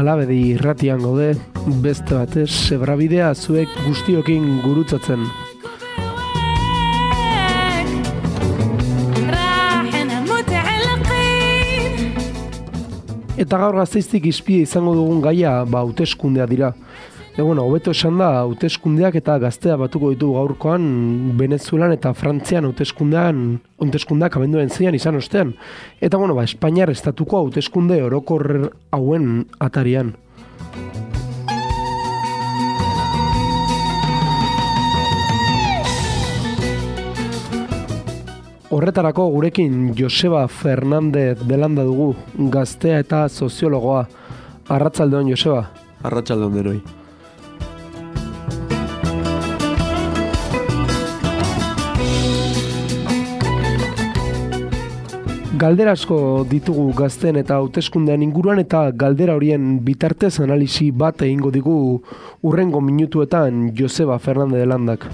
Alabedi irratian gaude, beste batez, Zebrabidea zuek guztiokin gurutzatzen. Eta gaur Gasteiztik izpide izango dugun gaia, hauteskundea dira. Hobeto esan da, hauteskundeak eta gaztea batuko ditu gaurkoan Venezuelan eta Frantzian hauteskundeak abenduaren 6 izan ostean. Eta Espainiar estatuko hauteskunde orokor hauen atarian. Horretarako gurekin Joseba Fernández de Landa dugu, gaztea eta soziologoa. Arratsaldeon, Joseba. Arratsaldeon denoi. Galdera asko ditugu gazteen eta hauteskundean inguruan eta galdera horien bitartez analisi bat egingo digu hurrengo minutuetan Joseba Fernández de Landak.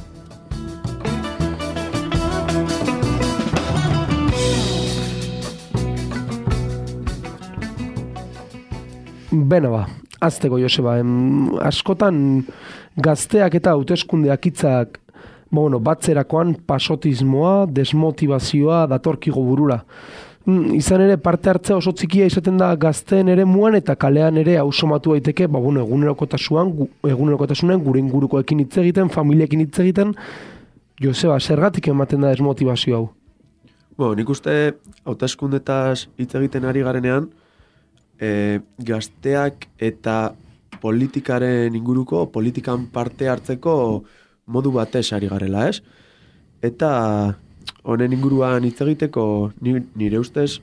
Beno azteko Joseba, askotan gazteak eta hauteskundeak hitzak batzerakoan pasotismoa, desmotivazioa datorkigo burura. Izan ere parte hartzea oso txikia izaten da gazteen ere muan eta kalean ere hausomatu daiteke, egunerokotasunen gure ingurukoekin hitz egiten, familiekin hitz egiten. Joseba, zergatik ematen da desmotivazio hau? Nik uste hauteskundetaz hitz egiten ari garenean, gazteak eta politikaren inguruko, politikan parte hartzeko modu batez ari garela, ez? Eta honen inguruan hitz egiteko nire ustez,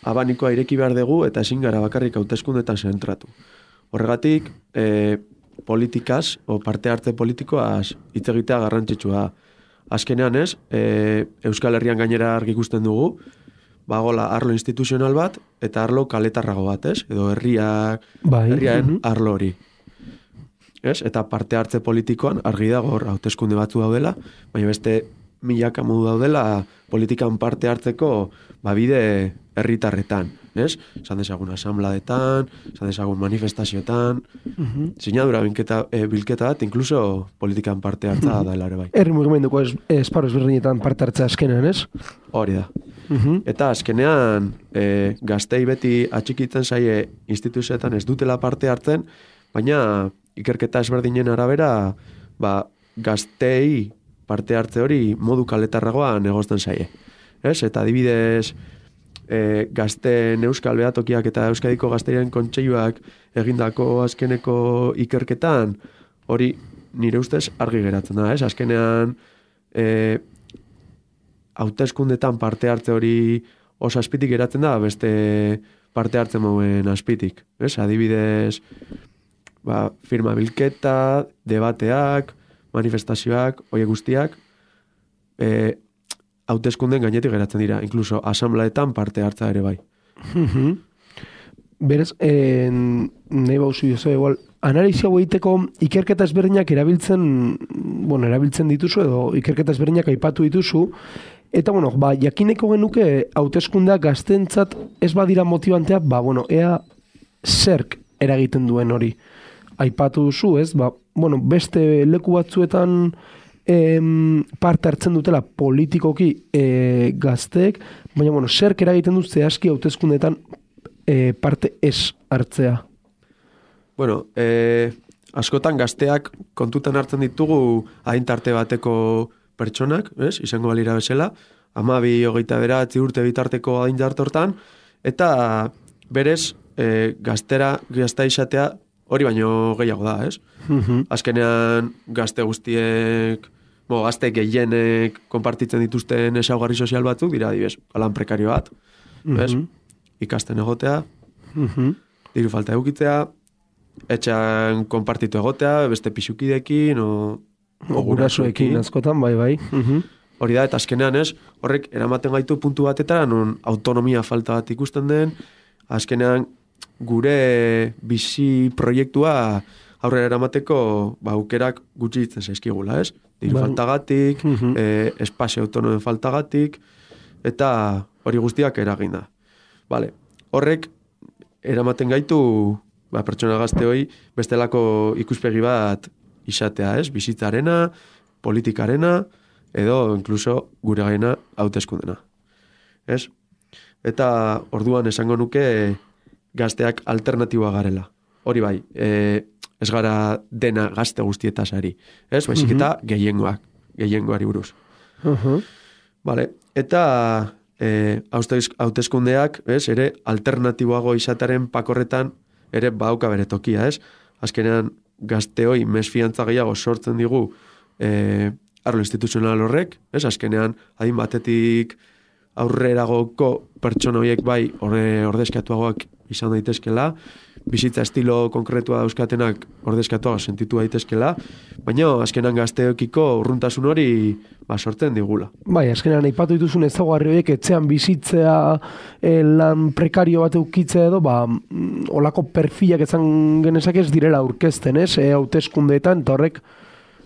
abanikoa ireki behar dugu eta ezin gara bakarrik hauteskundetan zentratu. Horregatik, politikaz, parte hartze politikoaz hitz egitea garrantzitsua. Azkenean ez, Euskal Herrian gainera argi ikusten dugu, arlo instituzional bat eta arlo kaletarrago bat, ez? Edo herriaren arlo hori. Eta parte hartze politikoan argi dago hauteskunde batzu daudela, baina beste milaka modu daudela politikan parte hartzeko bide herritarretan, ez? Esan dezagun asambladetan, esan dezagun manifestazioetan, sinadura bilketa bat, inkluso politikan parte hartza dela ere bai. Herri mugimenduko esparru ezberdinetan parte hartzea azkenean, ez? Hori da. Eta azkenean gaztei beti atxikitzen zaie instituzioetan ez dutela parte hartzen, baina ikerketa ezberdinen arabera gaztei parte hartze hori modu kaletarragoan egozten zaie. Eta adibidez gazteen Euskal Behatokiak eta Euskadiko Gazteriaren Kontseiluak egindako azkeneko ikerketan hori nire ustez argi geratzen da. Azkenean hauteskundetan parte hartze hori oso azpitik geratzen da, beste parte hartzen mauen azpitik. Adibidez firma bilketa, debateak, manifestazioak, horiek guztiak, hauteskunden gainetik geratzen dira, inkluso asamblaetan parte hartza ere bai. Berez, nahi bauzu igual, analizia egiteko ikerketa ezberdinak erabiltzen dituzu edo ikerketa ezberdinak aipatu dituzu, eta jakineko genuke hauteskundeak gaztentzat ez badira motibanteak, ea zerk eragiten duen hori. Aipatu duzu, ez? Beste leku batzuetan parte hartzen dutela politikoki gazteek, baina zerk eragiten du zehazki hauteskundetan parte ez hartzea? Askotan gazteak kontutan hartzen ditugu adintarte bateko pertsonak, izango balira bezala, 12-29 urte bitarteko adintarte hortan, eta berez gaztea izatea hori baino gehiago da, ez? Azkenean gazte guztiek, gazte gehienek konpartitzen dituzten ezaugarri sozial batzuk, dira adibidez, lan prekario bat, ikasten egotea, diru falta edukitzea, etxean konpartitu egotea, beste pixukidekin, o gurasoekin askotan, bai. Hori da, eta azkenean ez, horrek eramaten gaitu puntu batetara, non autonomia falta bat ikusten den, azkenean gure bizi proiektua aurrera eramateko aukerak gutxi ditzen zaizkigula, ez? Diru faltagatik, espazio autonomen faltagatik, eta hori guztiak eragin da. Horrek eramaten gaitu, pertsona gazte hoi, bestelako ikuspegi bat izatea, ez? Bizitzarena, politikarena, edo inkluso gure gaina hauteskundena. Ez? Eta orduan esango nuke gazteak alternatiboa garela. Hori bai, ez gara dena gazte guztietaz ari. Ez? Baizik eta gehiengoari buruz. Vale. Eta hauteskundeak, ez? Ere alternatiboago izataren pakorretan ere bauka bere tokia, ez? Azkenean gazteoi mesfiantza gehiago sortzen digu arlo instituzional horrek, ez? Azkenean adin batetik aurreragoko pertsona horiek bai ordezkatuagoak izan daitezkela, bizitza estilo konkretua dauzkatenak ordezkatuago sentitu daitezkela, baina azkenan gazteokiko urruntasun hori sortzen digula. Bai, azkenan aipatu dituzun ezaugarri horiek etxean bizitzea, lan prekario bat eukitzea edo, olako perfilak ezan genezak ez direla aurkezten, ez? Hauteskundeetan, eta horrek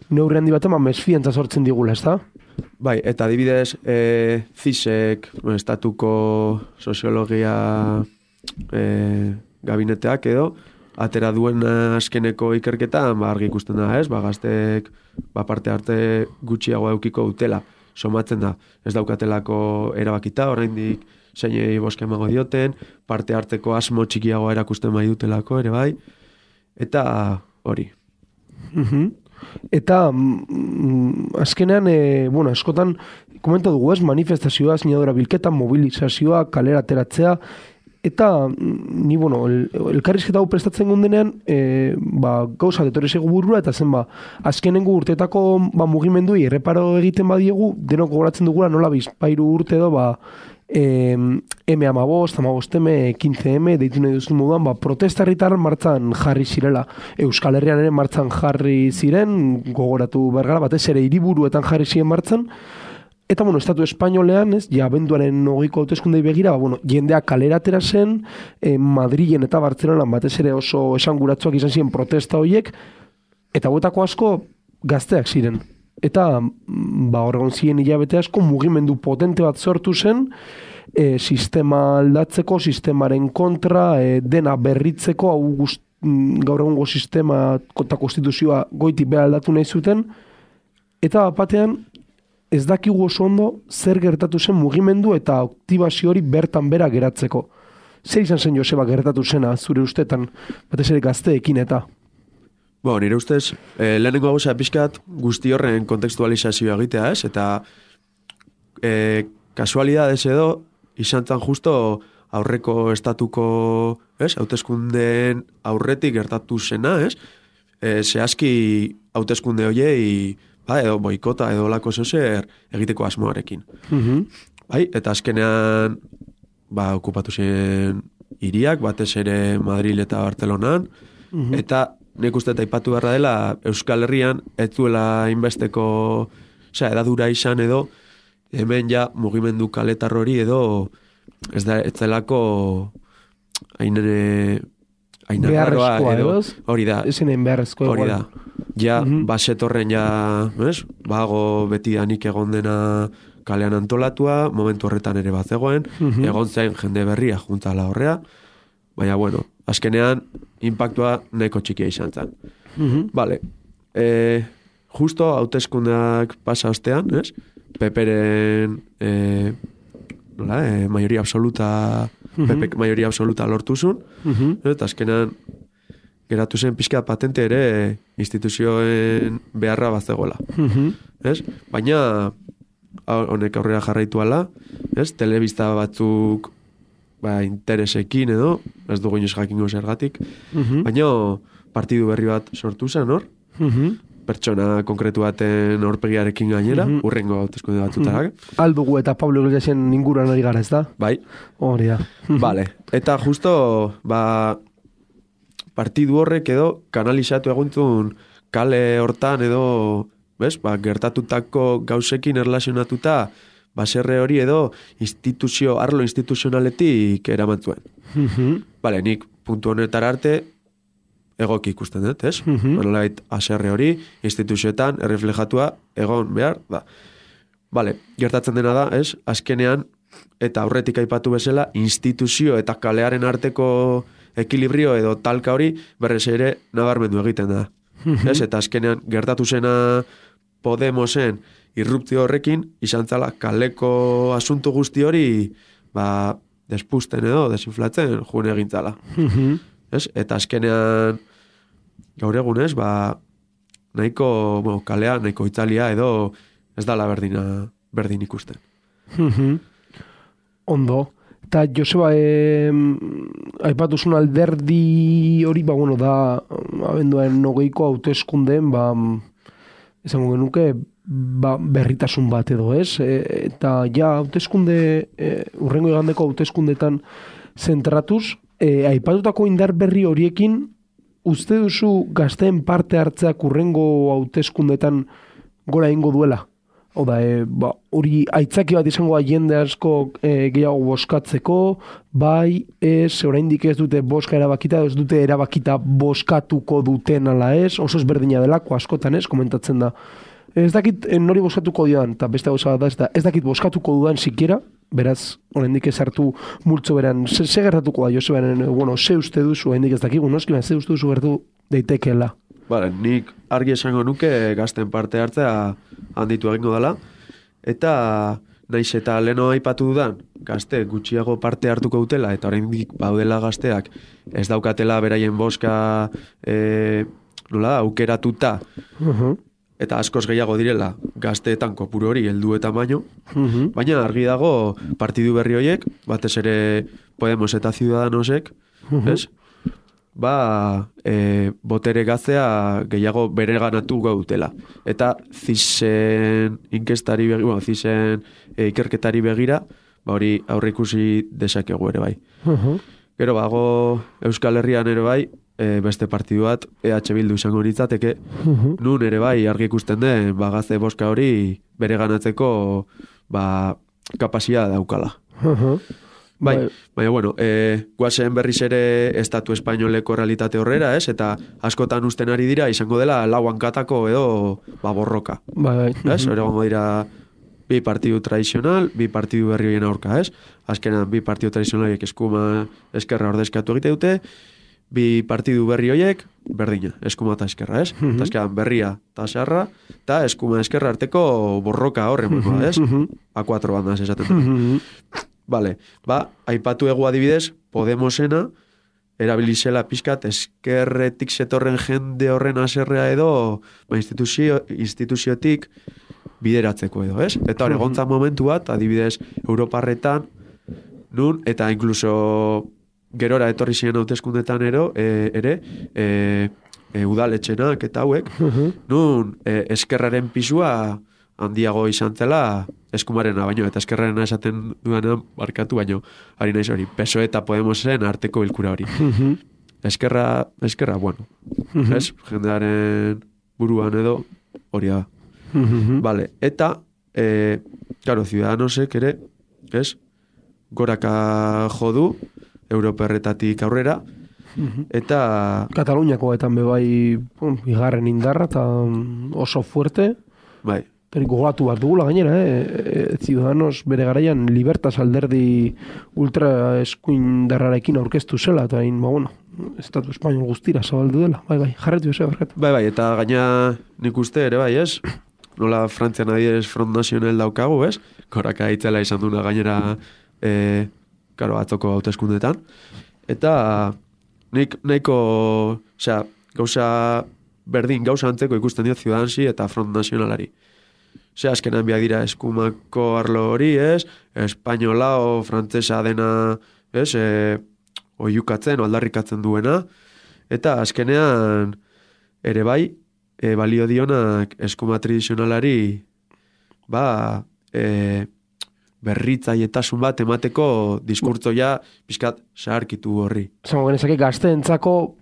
neurri handi batean mesfiantza sortzen digula, ez da? Bai, eta adibidez, CISek, estatuko soziologia gabineteak edo, atera duen azkeneko ikerketan, argi ikusten da, ez? Gazteek parte arte gutxiago eukiko dutela, somatzen da, ez daukatelako erabakita, oraindik zeinei boska emango dioten, parte harteko asmo txikiago erakusten bai dutelako, ere bai, eta hori. Eta azkenean, askotan komenta dugu ez, manifestazioa, sinadura bilketa, mobilizazioa, kalera ateratzea, eta ni, elkarrizketa hau prestatzen gundenean, gauza detorri zego burura, eta zen, azkenengo urteetako mugimendui erreparo egiten badiegu, denok gogoratzen dugula nola bizpairu urte edo, M15, 15M, deitu nahi duzun moduan, protesta herritar martzan jarri zirela. Euskal Herrian ere martzan jarri ziren, gogoratu bergara, batez ere hiriburuetan jarri ziren martzan, eta, estatu espainolean, ez, abenduaren 20ko hauteskundei begira, jendea kalera atera zen, Madrilen eta Bartzelonan batez ere oso esanguratsuak izan ziren protesta horiek, eta huetako asko gazteak ziren. Eta horregon ziren hilabete asko mugimendu potente bat sortu zen, sistema aldatzeko, sistemaren kontra, dena berritzeko, gaur egungo sistema eta konstituzioa goitik behar aldatu nahi zuten, eta batean ez dakigu oso ondo zer gertatu zen mugimendu eta aktibazio hori bertan bera geratzeko. Zer izan zen Joseba gertatu zena zure ustetan, batez ere gazteekin eta? Nire ustez, lehenengo gauza pixkat guzti horren kontekstualizazioa egitea, ez? Eta kasualidades edo, izan zan justo aurreko estatuko, ez? Hauteskundeen aurretik gertatu zena, ez? Zehazki hauteskunde hoiei, edo boikota edo lako zozer egiteko asmoarekin. Bai, eta azkenean okupatu zen hiriak, batez ere Madril eta Bartzelonan, eta nik uste eta aipatu beharra dela Euskal Herrian ez duela inbesteko edadura izan edo hemen ja mugimendu kaletar hori edo ez zelako beharrezkoa edo hori da. Ezinen beharrezkoa hori da. Ja, basetorren ja, bago beti danik egon dena kalean antolatua, momentu horretan ere bat zegoen, egon zen jende berria juntala horrea, baina, azkenean, impactua nahiko txikia izan zen. Vale. Justo hauteskundeak pasa ostean, ez? Peperen mayoría absoluta, Pepek mayoría absoluta lortuzun, eta azkenean geratu zen pixka patente ere instituzioen beharra bat zegoela. Ez? Baina honek aurrera jarraitu ala, ez? Telebista batzuk interesekin edo, ez dugu inoz jakingo zergatik, baina partidu berri bat sortu zen, hor? Pertsona konkretu baten aurpegiarekin gainera, urrengo hauteskunde batutarak. Aldugu eta Pablo Iglesiasen inguruan ari gara, ez da? Bai. Hori da. Vale. Eta justo, partidu horrek edo kanalizatu eguntzun kale hortan edo, gertatutako gauzekin erlazionatuta, baserre hori edo arlo instituzionaletik eramantzuen. Vale, nik puntu honetara arte egoki ikusten dut, ez? Manolait, aserre hori instituzioetan erreflejatua egon behar da. Vale, gertatzen dena da, ez? Azkenean, eta aurretik aipatu bezala, instituzio eta kalearen arteko ekilibrio edo talka hori berrez ere nabarmendu egiten da. Ez? Eta azkenean gertatu zena Podemosen irruptio horrekin, izan zala kaleko asunto guzti hori despusten edo, desinflatzen june egintzala. Ez? Eta azkenean gaur egunez, nahiko, kalea, nahiko itzalia edo ez dala berdin ikusten. Ondo. Eta Joseba, aipatuzun alderdi hori, da, abenduaren 20ko hauteskundeen, esango genuke, berritasun bat edo, ez? Eta hauteskunde, urrengo igandeko hauteskundetan zentratuz, aipatutako indar berri horiekin, uste duzu gazteen parte hartzeak urrengo hauteskundetan gora ingo duela? Oda, hori aitzaki bat izango jende asko gehiago boskatzeko, bai, oraindik ez dute boska erabakita, ez dute erabakita boskatuko duten ala ez, oso ezberdina delako askotan ez, komentatzen da. Ez dakit nori boskatuko dian, eta beste gauza bat da, ez dakit boskatuko dudan sikiera, beraz, oraindik ez hartu multzo beran, ze gertatuko da, Josebaren, ze uste duzu, oraindik ez dakigu, noski, ze uste duzu gertu daitekeela. Bale, nik argi esango nuke gazten parte hartzea handitu egingo dela, eta naiz eta leno aipatu dudan, gazte gutxiago parte hartuko dutela, eta oraindik baudela gazteak ez daukatela beraien boska aukeratuta, eta askoz gehiago direla gazteetan kopuru hori heldu eta baino, baina argi dago partidu berri horiek, batez ere Podemos eta Ciudadanosek, ez? Botere gaztea gehiago bereganatu gautela. Eta zisen inkestari begira, zisen ikerketari begira, hori aurre ikusi desakegu ere bai. Gero Euskal Herrian ere bai, beste partidu bat, EH Bildu izango litzateke, nun ere bai argi ikusten den, gazte boska hori bereganatzeko kapazia daukala. Baina, guazen berriz ere estatu espainoleko realitate horrera, ez? Eta askotan usten ari dira, izango dela lauan katako edo borroka. Ez? Horregongo dira bi partidu tradizional, bi partidu berri horien aurka, ez? Azkenan bi partidu tradizionaliek eskuma eskerra ordezkatu egite dute, bi partidu berri horiek berdina, eskuma eta eskerra, ez? Eta azkenan berria eta xarra, eta eskuma eskerra arteko borroka horren, ez? A4 bandas esaten. Vale, aipatu egu adibidez, Podemosena, erabilizela pixkat eskerretik zetorren jende horren aserrea edo instituziotik bideratzeko edo, ez? Eta hori gontzan momentu bat, adibidez, Europarretan, nun, eta inkluso gerora etorri ziren hauteskundetan ere, udaletxenak eta hauek, nun, eskerraren pisua handiago izan zela eskumarena baino, eta eskerrarena esaten duanean barkatu baino, ari naiz hori, PSOE eta Podemosen arteko bilkura hori. Eskerra, bueno, ez? Jendearen buruan edo hori da. Vale, eta, claro, Ciudadanosek ere, ez? Goraka jodu, Europerretatik aurrera, eta... Kataluniakoetan bebai bigarren indarra, eta oso fuerte. Bai. Gogatu bat dugula gainera, Ciudadanos bere garaian Libertas alderdi ultra eskuindarrarekin aurkeztu zela, eta Estatu Espainol guztira zabaldu dela. Bai, jarretu ez, barkatu. Bai, eta gaina nik uste ere bai, ez? Nola Frantzian adieres Front National daukagu, ez? Koraka itzela izan duna gainera atzoko hauteskundetan. Eta nik nahiko, gauza berdin, gauza antzeko ikusten dio Ciudadansi eta Front Nationalari. Azkenan biak dira eskumako arlo hori, ez? Espainola o frantzesa dena, ez? Oiukatzen, aldarrikatzen duena. Eta azkenean ere bai, balio dionak eskuma tradizionalari berritzaietasun bat emateko diskurtzoia pixkat zaharkitu horri. Zango genezake gazteentzako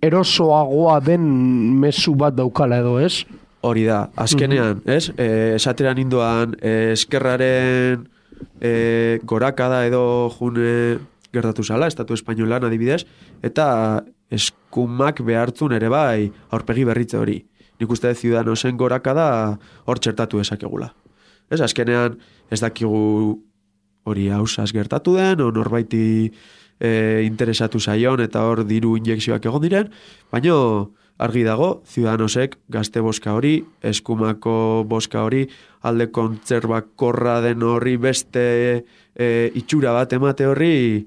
erosoagoa den mezu bat daukala edo, ez? Hori da, azkenean, ez? Esateran indoan, eskerraren gorakada edo june gertatu zala, Estatu Espainolan adibidez, eta eskumak behartzun ere bai aurpegi berritze hori. Nik uste Ciudadanosen gorakada hor txertatu esakegula. Ez, azkenean ez dakigu hori hausaz gertatu den, o norbaiti interesatu zaion eta hor diru injekzioak egon diren, baina argi dago, Ciudadanosek gazte boska hori, eskumako boska hori, alde kontzerbakorra den horri beste itxura bat emate horri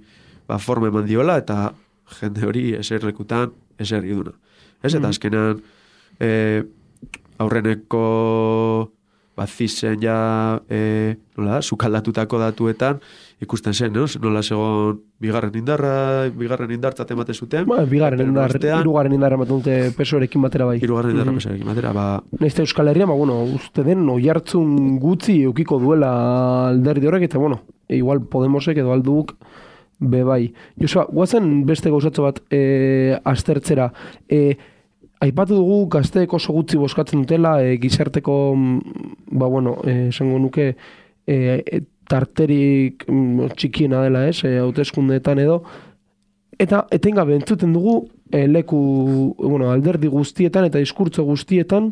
forma eman diola eta jende hori eserlekutan eserri duna. Ez, eta azkenan aurreneko zisen ja sukaldatutako datuetan ikusten zen, nola segon bigarren indartzat emate zuten. Hirugarren indarra ematen dute pesoarekin batera bai. Hirugarren indarra pesoarekin batera, Naizta Euskal Herria, uste den oihartzun gutxi eukiko duela alderdi horrek, eta igual Podemosek edo alduk be bai. Joseba, guazen beste gauzatxo bat aztertzera. Aipatu dugu gazteek oso gutxi boskatzen dutela, gizarteko, esango nuke, tarterik txikiena dela, hauteskundeetan edo, eta etengabe entzuten dugu alderdi guztietan eta diskurtso guztietan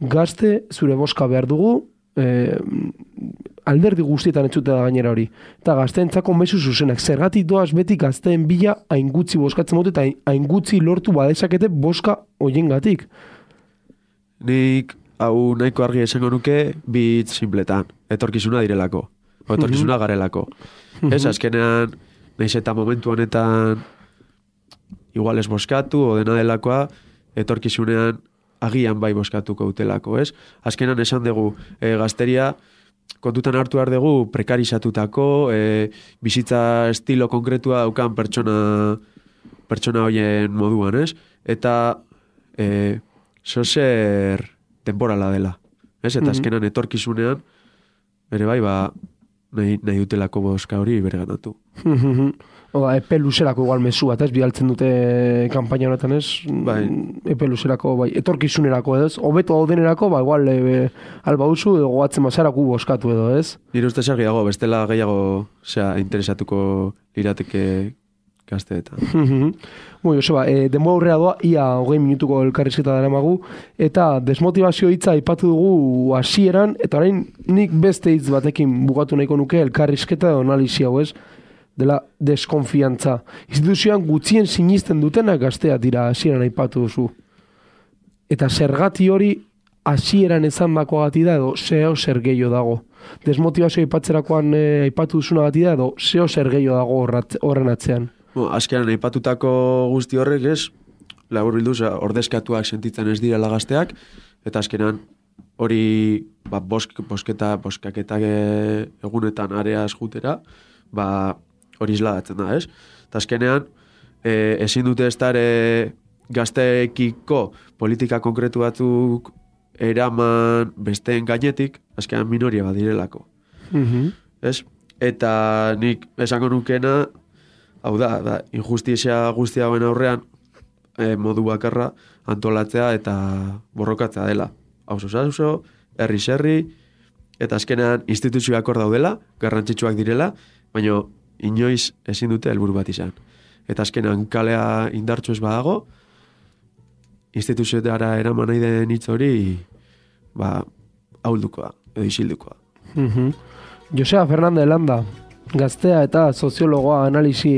gazte zure boska behar dugu, alderdi guztietan entzute da gainera hori. Eta gazteentzako mezu zuzenak. Zergatik doaz beti gazteen bila hain gutxi boskatzen dute eta hain gutxi lortu badezakete boska hoiengatik. Nik hau nahiko argi esango nuke bi hitz simpletan. Etorkizuna direlako. Etorkizuna garelako. Ez, azkenean, nahiz eta momentu honetan igual ez boskatu, o dena delakoa, etorkizunean agian bai boskatuko utelako, ez? Azkenan esan dugu, gazteria kontutan hartu behar dugu prekarizatutako, bizitza estilo konkretua daukan pertsona hoien moduan, ez? Eta zozer temporala dela, ez? Eta azkenan etorkizunean, bere bai, nahi dutelako boska hori bere ganatu. Epe luzerako igual mezu bat, ez? Bidaltzen dute kanpaina honetan, ez? Epe luzerako, etorkizunerako, ez? Hobeto daudenerako, igual alba usu, edo goatzen mazarako boskatu edo, ez? Nire uste sargi dago, bestela gehiago interesatuko lirateke gazteetan. Joseba, denbora aurrea doa, ia 20 minutuko elkarrizketa daramagu, eta desmotivazio hitza aipatu dugu hasieran, eta orain nik beste hitz batekin bukatu nahiko nuke elkarrizketa edo analizia hau, ez? Dela deskonfiantza. Instituzioan gutxien sinisten dutenak gaztea dira hasieran aipatu duzu. Eta zergati hori hasieran ezan dakoagati da edo zeo zer gehiago dago. Desmotivazio aipatzerakoan aipatu duzuna gati da edo zeo zer gehiago dago horren atzean. Azkenan aipatutako guzti horrek ez, labur bilduz, ordezkatuak sentitzen ez direla gazteak, eta azkenan hori boskaketak egunetan areaz jutera, hori isladatzen da, ez? Eta azkenean, ezin dute ez dara gazteekiko politika konkretu batzuk eraman besteen gainetik, azkenean minoria badirelako. Ez? Eta nik esango nukena, hau da, injustizia guztia hauen aurrean, modu bakarra antolatzea eta borrokatzea dela. Auzo, herri, eta azkenean instituzioak hor daudela, garrantzitsuak direla, baina inoiz ezin dute helburu bat izan. Eta azkenean kalea indartsu ez badago, instituzioetara eraman nahi den hitz hori, ahuldukoa, edo isildukoa. Joseba Fernandez Landa, gaztea eta soziologoa analisi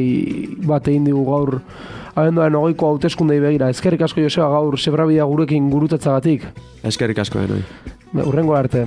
bat egin digu gaur abenduaren 20ko hauteskundei begira. Eskerrik asko Joseba gaur zebrabidea gurekin gurutatzagatik. Eskerrik asko denoi. Hurrengo arte.